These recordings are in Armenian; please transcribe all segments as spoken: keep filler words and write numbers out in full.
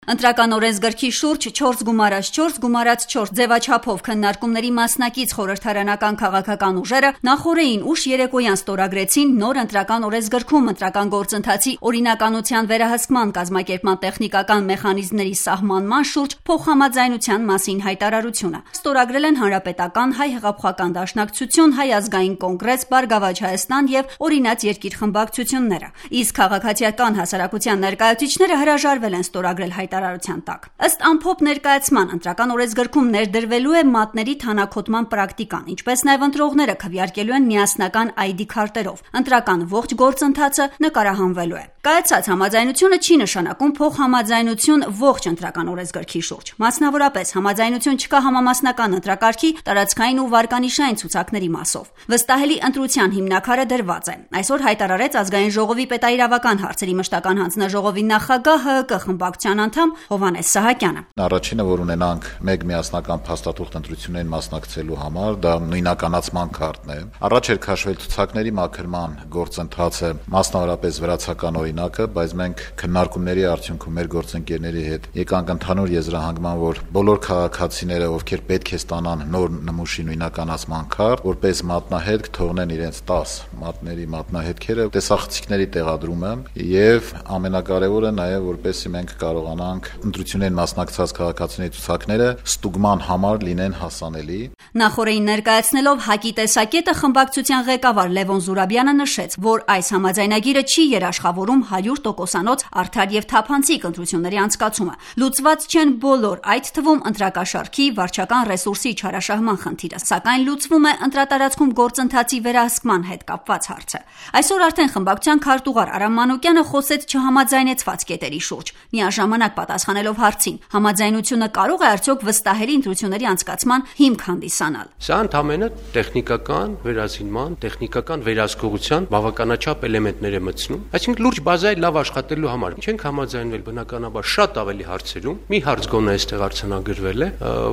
Ընտրական օրենսգրքի շուրջ չորս գումարած չորս գումարած չորս ձևաչափով քննարկումների մասնակից խորհրդարանական քաղաքական ուժերը նախօրեին ուշ երեկոյան ստորագրեցին նոր ընտրական օրենսգրքում ընտրական գործընթացի օրինականության վերահսկման կազմակերպման տեխնիկական մեխանիզմների սահմանման շուրջ փոխհամաձայնության մասին հայտարարությունը։ Ստորագրել են Հանրապետական, Հայ հեղափոխական դաշնակցություն, Հայ ազգային կոնգրես, Բարգավաճ Հայաստան եւ Օրինաց երկիր խմբակցությունները։ Իսկ քաղաքացիական հասարակության ներկայացուցիչները հրաժարվել են ստորագրել հայտարարության տակ։ Ըստ ամփոփ ներկայացման ընտրական օրենսգրքում ներդրվելու է մատների թանաքոտման պրակտիկան, ինչպես նաև ընտրողները քվեարկելու են միասնական այ դի քարտերով։ Ընտրական ողջ գործընթացը նկարահանվելու է։ Կայացած համաձայնությունը չի նշանակում փոխհամաձայնություն ողջ ընտրական օրենսգրքի շուրջ։ Մասնավորապես համաձայնություն չկա համամասնական ընտրակարգի տարածքային ու վարկանիշային ցուցակների մասով։ Վստահելի ընտրության հիմնաքարը դրված է։ Այսօր հայտարարեց Ազգային ժողովի պետաիրավական հարցերի մշտական հանձնաժողովի նախագահ ՀՀԿ խմբակցության անդամ Հովհաննես Սահակյանը։ Առաջինը, որ ունենանք մեկ միասնական փաստաթուղթ ընտրություններին մասնակցելու համար, դա նույնականացման քարտն է։ Առաջ էր քաշվել ցուցակների մաքրման գործընթացը, մասնավորապես վրացական օրինակը, բայց մենք քննարկումների արդյունքում մեր գործընկերների հետ եկանք ընդհանուր եզրահանգման, որ բոլոր քաղաքացիները, ովքեր պետք է ստանան նոր նմուշի նույնականացման քարտ, որպես մատնահետք թողնեն իրենց տաս մատների մատնահետքերը, տեսախցիկների տեղադրումը եւ ամենակարևորը նաեւ որպեսզի մենք կարողանանք ընտրություններին մասնակցած քաղաքացիների ցուցակները ստուգման համար լինեն հասանելի։ Նախորդին ներկայացնելով ՀԱԿ-ի տեսակետը խմբակցության ղեկավար Լևոն Զուրաբյանը նշեց, որ այս համաձայնագիրը չի երաշխավորում հարյուր տոկոսանոց արդար եւ թափանցիկ ընտրությունների անցկացումը։ Լուծված չեն բոլոր, այդ թվում ընտրակաշառքի, վարչական ռեսուրսի չարաշահման խնդիրը, սակայն լուծվում է ընտրատարածքում գործընթացի վերահսկման հետ կապված հարցը։ Այսօր արդեն խմբակցության քարտուղար Արամ Մանուկյանը խոսեց չհամաձայնեցված կետերի շուրջ։ Միաժամանակ պատասխանելով հարցին, համաձայնությունը կարող է արդյոք վստահելի ընտրությունների անցկացման հիմք հանդիսանալ։ Սա ընդհանրապես տեխնիկական վերազինման, տեխնիկական վերահսկողության բավականաչափ էլեմենտներ է մտցնում, այսինքն լուրջ բազայի լավ աշխատելու համար չենք համաձայնվել բնականաբար շատ ավելի հարցերում։ Մի հարց գոնե այստեղ արձանագրվել է,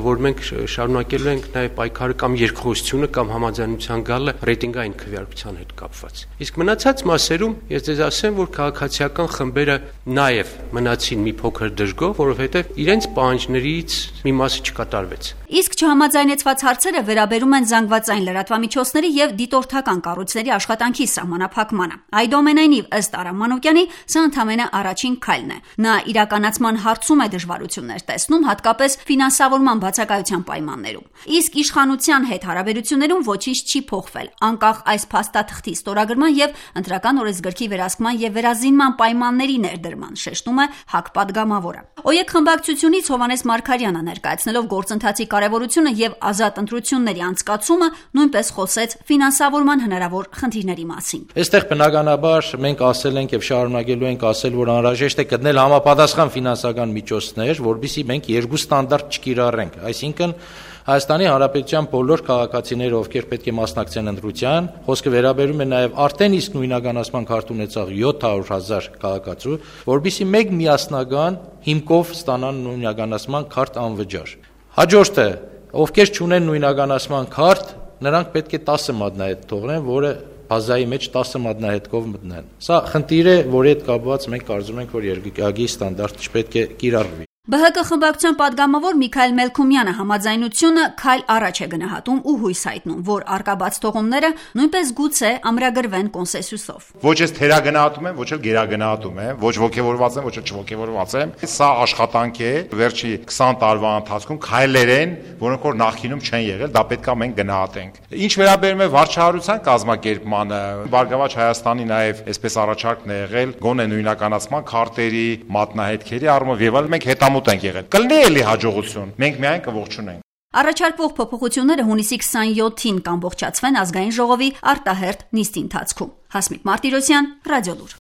որ մենք շարունակելու ենք նաև պայքարը կամ երկխոսությունը կամ համաձայնության գալը ռեյտինգային քվեարկության հետ կապված։ Իսկ մնացած մասերում ես ձեզ ասեմ, որ քաղաքացիական խմբերը նաև մնացին մի փոքր դժգոհ, որովհետև իրենց պահանջներից մի մասը չկատարվեց։ Իսկ չհամաձայնեցված հարցերը վերաբերում են զանգվածային լրատվամիջոցների եւ դիտորդական կառույցների աշխատանքի սահմանափակմանը։ Այդուամենայնիվ, ըստ Արամ Մանուկյանի, սա ընդամենը առաջին քայլն է։ Նա իրականացման հարցում է դժվարություններ տեսնում, հատկապես ֆինանսավորման բացակայության պայմաններում։ Իսկ իշխանության հետ հարաբերություններում ոչինչ չի փոխվել, անկախ այս փաստաթղթի ստորագրման եւ ընտրական օրենսգրքի վերահսկման եւ վերազինման պայմանների ներդրման, շեշտում է ՀԱԿ պատգամավորը։ ՕԵԿ խմբակցությունից Հովհաննես Մարգարյանը ներկայացնելով գործընթացի կարևորությունը եւ ազատ ընտրությունների անցկացումը նույնպես խոսեց ֆինանսավորման հնարավոր խնդիրների մասին։ Այստեղ բնականաբար մենք ասել ենք եւ շարունակելու ենք ասել, որ անհրաժեշտ է գտնել համապատասխան ֆինանսական միջոցներ, որովհետեւ մենք երկու ստանդարտ չկիրառենք, այսինքն Հայաստանի Հանրապետության բոլոր քաղաքացիները, ովքեր պետք է մասնակցեն ընտրության, խոսքը վերաբերում է նաև արդեն իսկ նույնականացման քարտ ունեցող յոթ հարյուր հազար քաղաքացու, որովհետեւ մեկ միասնական հիմքով ստանան նույնականացման քարտ անվճար։ Հաջորդը, ովքեր չունեն նույնականացման քարտ, նրանք պետք է տասը մատնահետ թողնեն, որը բազայի մեջ տասը մատնահետքով մտնեն։ Սա խնդիր է, որի հետ կապված մենք կարծում ենք, որ երկրագի ստանդարտ չպետք է կիրառվի։ ԲՀԿ խմբակցության պատգամավոր Միքայել Մելքումյանը համաձայնությունը քայլ առաջ է գնահատում ու հույս հայտնում, որ արկա բացթողումները նույնպես գուցե ամրագրվեն կոնսենսուսով։ Ոչ ես թերագնահատում եմ, ոչ էլ գերագնահատում եմ, ոչ ոգևորված եմ, ոչ էլ չոգևորված եմ։ Սա աշխատանք է վերջի քսան տարվա ընթացքում քայլեր են, որոնք որ նախինում չեն եղել, դա պետք է մենք գնահատենք։ Ինչ վերաբերում է վարչահարության կազմակերպմանը, Բարգավաճ Հայաստանի նաև այսպես առաջարկն է եղել գոնե նույնականացման քարտերի, մատնահետքերի առումով եւ այլ մենք հետամ ենք եղել։ Կլինի էլի հաջողություն։ Մենք միայն կողջունենք։ Առաջարկվող փոփոխությունները հունիսի քսաներկուին կամբողջացվեն ազգային ժողովի արտահերթ նիստի ընթացքում։ Հասմիկ Մարտիրոսյան, Ռադիոլուր։